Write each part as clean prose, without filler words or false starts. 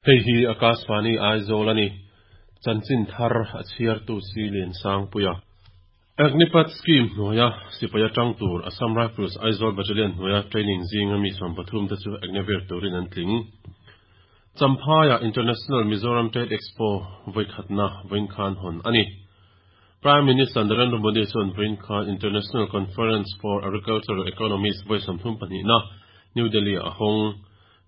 Hei hi Akashvani Aizawl a ni. Chanchin thar a chhiartu si Liansangpuia. Agnipath Scheme hnuaia sipai atang tur Assam Rifles Aizawl Battalion hnuaia training zinga mi 13 te chu Agniveer turin an tling. Champhaiah International Mizoram Trade Expo vawikhatna vawiin khan hawn a ni. Prime Minister Narendra Modi chuan vawiin khan International Conference for Agricultural Economists vawi 32na New Delhi-ah a hawng.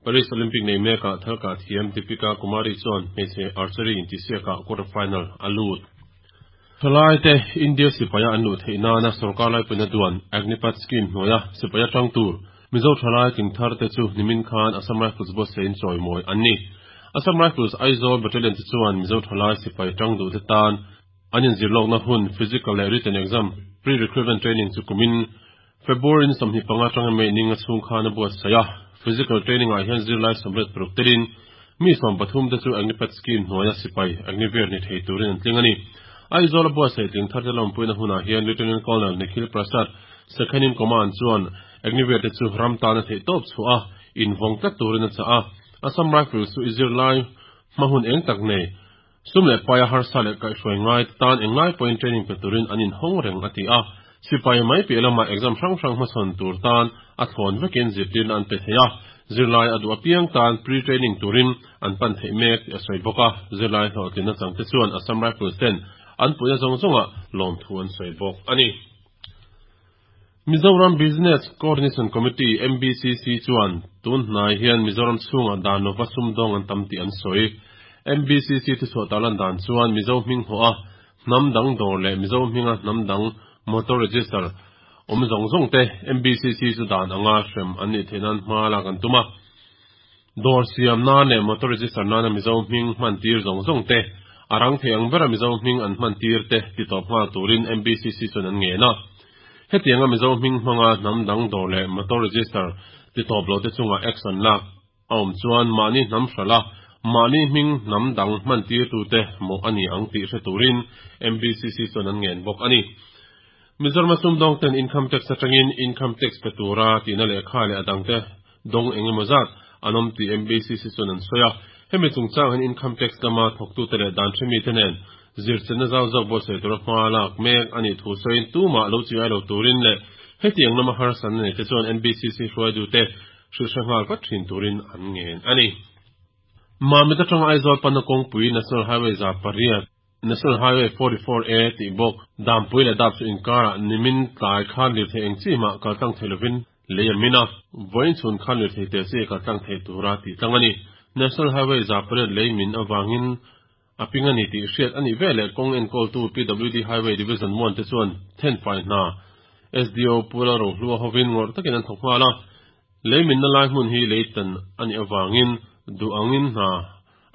Paris Olympic nei mekah thalkah thiam Deepika Kumari chuan hmeichhe archery intihsiakah quarter final a lut. Thalaite India sipaia an luh theih nana sorkar laipuina duan Agnipath Scheme hnuaia sipai atang tur Mizo thalai tling thar te chu nimin khan Assam Rifles buatsaih chawimawi an ni. Assam Rifles Aizawl Battalion te chuan Mizo thalai sipai tang duh te tan an inzirlawkna hun physical leh written exam pre-recruitment training chu kumin February ni 25 atanga May ninga chhung khan a buatsaih a. Physical training ah hian zirlai 86 telin mi 13 te chu Agnipath Scheme hnuaia sipai Agniveer ni thei turin an tling a ni. Aizawl a buatsaih tling thar te lawmpuina hunah hian Lieutenant Colonel Nikhil Prasad, Second in Command chuan Agniveer te chu ram tana theih tawp chhuah a, invawng tlat turin a chah a. Assam Rifles chu i zirlai hma hun eng tak nei, sum leh paia harsa leh kaihhruai ngai te tan englai pawhin training pe turin an inhawng reng a ti a. Sipai mai piah lamah exam hrang hrang hmasawn tur tan a thlawn vekin zirtirna an pe thei a, zirlai a duh apiang tan pre-training turin an pan theih mek tih a sawi bawk a. Zirlai hlawhtlinna changte chuan Assam Rifles ten an puihna zawng zawngah lawmthu an sawi bawk a ni. Mizoram Business Coordination Committee, MBCC, chuan tun hnai hian Mizoram chhungah dan lova sumdawng an tam tih an sawi. MBCC thuchhuah tarlan dan chuan Mizo hming hawh a hnam dang dawr leh Mizo hminga hnam dang motor register awm zawng zawng te MBCC chu dan anga hrem an nih theih nan hma lak an tum a. Dawr siam nan leh motor register nana Mizo hming hman tir zawng zawng te, a rang thei ang bera Mizo hming an hman tir te ti tawp nghal turin MBCC chuan an ngen a. Hetianga Mizo hming hmanga hnam dang dawr leh motor register ti tawp lo te chungah action lak a awm chuan mahni hnam hralh a, mahni hming hnam dang hman tir tute mawh a ni ang tih hre turin MBCC chuan an ngen bawk a ni. Mizoram a sumdawng ten income tax atangin income tax pe tura tihna lehkha leh a dangte dawng eng emaw zat an awm tih MBCC chuan an sawi a. Hemi chungchang hian income tax lama thawktute leh dan hremite nen zirchenna zau zawk buatsaih tura hma lak mek a nih thu sawiin tumah lo chi ai lo turin leh hetiang lama harsatna neite chuan MBCC hruaitute hrilhhre nghal vat thin turin an ngen a ni. Mamit atanga Aizawl panna kawngpui National Highway 800, National Highway 44A tih bawk Dampui leh Dap chu inkarah nimin tlai khan lirthei eng chi mah kaltlang thei lovin lei a min a, vawiin chhun khan lirthei te chi kaltlang thei tura tih tlang a ni. National Highway 800 lei min avangin a ping a ni tih hriat a nih veleh kawng enkawltu PWD Highway Division 1 te chuan thenfai hna SDO Pu Lalrohlua hovin ngawrh takin an thawk nghal a, lei minna lai hmun hi lei tan a nih avangin duh angin hna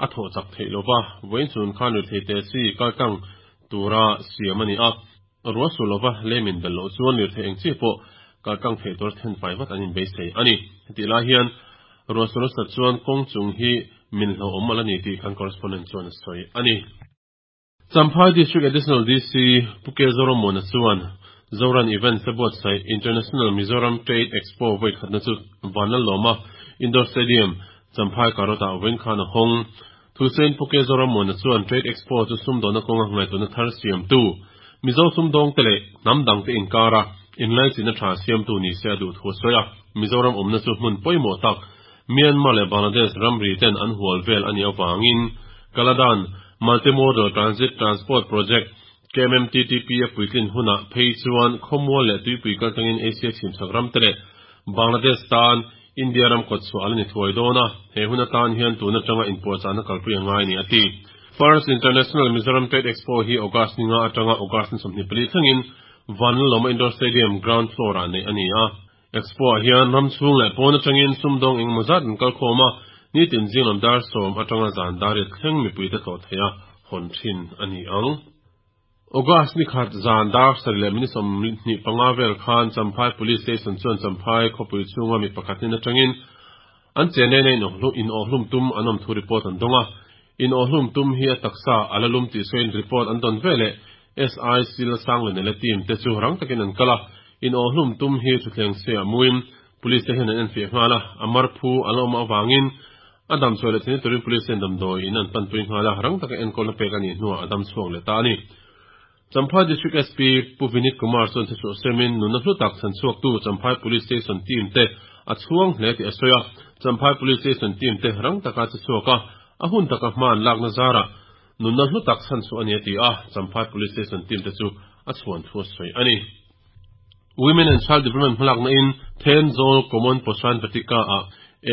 a thawh chak theih lova, vawiin chhun khan lirthei te chi kaltlang tura siam a ni a, ruah sur lova lei min belh loh chuan lirthei eng chi pawh kaltlang theih tura thenfai vat an inbeisei a ni. Hetih lai hian ruah sur nasat chuan kawng chung hi min hlauhawm a la ni tih kan correspondent chuan a sawi a ni. Champhai District Additional DC Pu K Zorammuana chuan Zoran Events a buatsaih International Mizoram Trade Expo vawi khatna chu Vanlalawma Indoor Stadium, Champhai Karot-ah vawiin khan a hawng. Thusain Pu K Zorammuana chuan Trade Expo chu sumdawna kawnga ngaihtuahna thar siamtu, Mizo sumdawngte leh hnam dangte inkara inlaichinna tha siamtu ni se a duh thu a sawi a. Mizoram awmna chu hmun pawimawh tak Myanmar leh Bangladesh ramri ten an hual vel a nih avangin Kaladan Multimodal Transit Transport Project, KMMTTP, a puitlin hunah phei chuan khawmual leh tuipui kaltangin Asia chhimchhak ramte leh Bangladesh tan India ram kawtchhuah a la ni thuai dawn a, he hun atan hian tun atanga inpuahchahna kalpui a ngai a ni a ti. First International Mizoram Trade Expo hi August ni nga atanga August ni 24 thlengin Vanlalawma Indoor Stadium ground floor-ah neih a ni a. Expo-ah hian ram chhung leh pawn atangin sumdawng engemaw zat an kal khawm a, nitin zing lam dar 10 atanga zan dar riat thleng mipuite tlawh theih a hawn thin a ni ang. August ni khat zan dar 7 leh minute 25 vel khan Champhai Police Station chuan Champhai khawpui chhunga mi pakhat hnen atangin an chenlena inawhhlum tum an awm thu report an dawng a. Inawhhlum tum hi a taksa a la lum tih sawiin report an dawn veleh SI Silsanglenela team te chu rang takin an kal a, inawhhlum tum hi thutthleng se a muin police te hian an enfiah nghal a, a mar phu a la awm avangin A dam chhuah leh theihna turin Police ten damdawi in an panpui nghal a, rang taka enkawlna pek a nih hnuah a dam chhuak leh ta a ni. Champhai District SP Pu Vinit Kumar chuan thuchhuah semin nunna hlu tak chhan chhuaktu Champhai Police Station team te a chhuang hle tih a sawi a, Champhai Police Station team te rang taka che chhuak a, a hun taka hma an lakna zarah nunna hlu tak chhan chhuah a ni a ti a, Champhai Police Station team te chu a chhuan thu a sawi a ni. Women and Child Development hmalakna in Thenzawl Common Poshan Vatika ah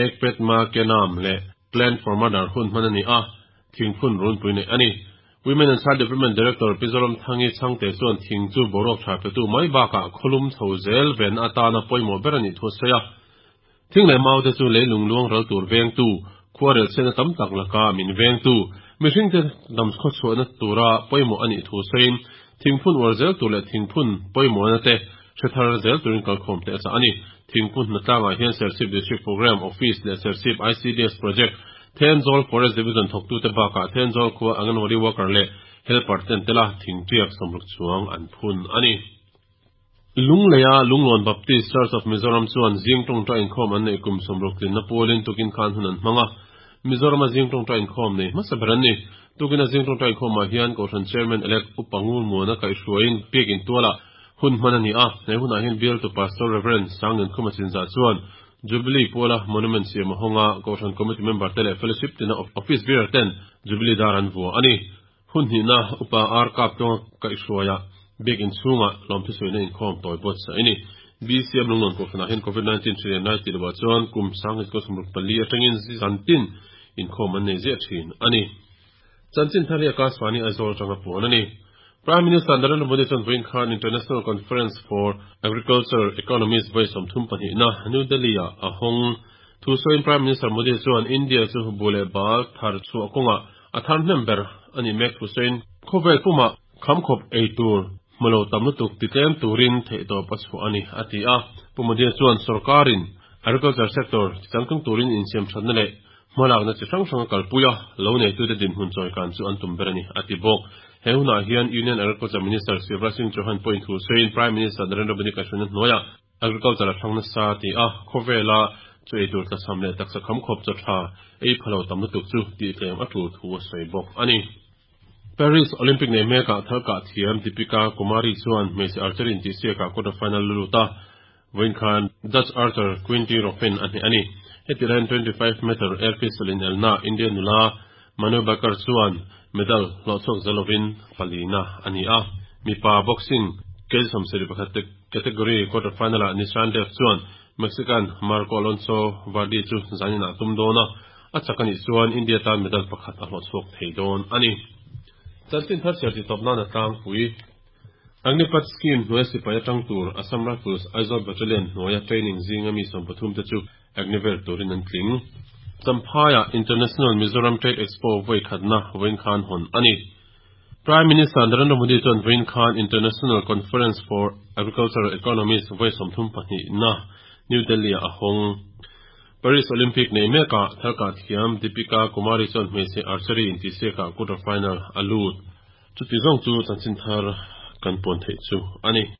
Ek Pet Ma Ke Naam leh Plan for Mother hun hman a ni a, thingphun runpui neih a ni. Women and Child Development Director Pi Zoramthangi Chhangte chuan thing chu boruak tha petu mai bakah khawlum chho zel venna atana pawimawh ber a nih thu a sawi a. Thing leh mau te chu leilung luang ral tur vengtu, khuarel chhiatna tam tak laka min vengtu, mihringte dam khawchhuahna tura pawimawh a nih thu sawiin thingphun uar zel tur leh thingphun pawimawhna te hre thar zel turin kalkhawm te a chah a ni. Thingphun hnatlangah hian Serchhip District Programme Office leh Serchhip ICDS Project, Thenzawl Forest Division thawktute bakah Thenzawl khua Anganwadi Worker leh Helper ten tela thingtiak 60 chuang an phun a ni. Lungleia Lunglawn Baptist Church of Mizoram chuan zing tawngtai inkhawm an neih kum 60 tlinna pualin tukin khan hun an hmang a. Mizorama zing tawngtai inkhawm nei hmasa ber an ni. Tukina zing tawngtai inkhawmah hian Kohhran Chairman Elect Upa Ngurmuana kaihhruaiin Biakin tualah hun hman a ni a. He hunah hian bialtu Pastor Rev. Sangnunkhuma Chinzah chuan Jubilee puala Monument siam a hawng a, Kohhran Committee member te leh Fellowship tina Office bearer ten Jubilee dar an vua a ni. Hun hnihna Upa Ar Kap Tlawnga kaihhruaia Biakin chhungah lawmthusawiina inkhawm tawi buatsaih a ni. BCM Lunglawn Kohhranah hian Covid-19 hri lian lai tih lovah chuan kum 1964 atangin zantin inkhawm an nei ziah thin a ni. Chanchin thar hi Akashvani Aizawl atanga puan a ni. Prime Minister Narendra Modi chuan vawiin khan International Conference for Agriculture Economists vawi 32 na New Delhi-ah a hawng. Thu sawiin Prime Minister Modi chuan India chu bu leh bal thar chhuah kawngah A thar hnem ber a nih mek thu sawiin khawvel pumah khamkhawp ei tur hmu lo tam lutuk titlem turin theihtawp a chhuah a ni, a ti a. Pu Modi chuan sorkarin agriculture sector changtlung turin insiam thatna leh hmalakna chi hrang hrang a kalpui a, lo neitute dinhmun chawikan chu an tum ber a ni, a ti bawk. He hunah hian Union Agriculture Minister Shivraj Singh Chauhan pawhin thu sawiin Prime Minister Narendra Modi kaihhruaina hnuaiah Agriculture a hrang nasa ti a, khawvela chu ei tur tlachham leh taksa kham khawp chaw tha ei pha lo tam lutuk chu tih tlem a tul thu a sawi bawk a ni. Paris Olympic nei mekah thal kah thiam Deepika Kumari chuan hmeichhe archery intihsiakah quarter final lu lut a, vawiin khan Dutch archer Quinty Roffin a hneh a ni. Heti laiin 25 meter air pistol inelna Indian nula Manu Bhaker chuan medal hlawhchhuak za lovin palina a ni a, mipa boxing kg 71 te category quarter final-ah Nishan Dev chuan Mexican Marco Alonso Vardy chu zanin ah tum dawn a, a chak a nih chuan India tan medal pakhat a hlawhchhuak thei dawn a ni. Chanchin thar chhiar tih tawp nan a tlangpui. Agnipath scheme hnuaia sipai atang tur Assam Rifles Aizawl Battalion hnuaia training zinga mi 13 te chu Agniveer turin an tling. Champhaiah International Mizoram Trade Expo vawi khatna vawiin khan hawn a ni. Prime Minister Narendra Modi chuan vawiin khan International Conference for Agricultural Economists vawi 32 na New Delhi-ah a hawng. Paris Olympic nei mekah thalkah thiam Deepika Kumari chuan hmeichhe archery intihsiakah quarter final a lut. Chuti zawng chu chanchin thar kan puan theih chu a ni.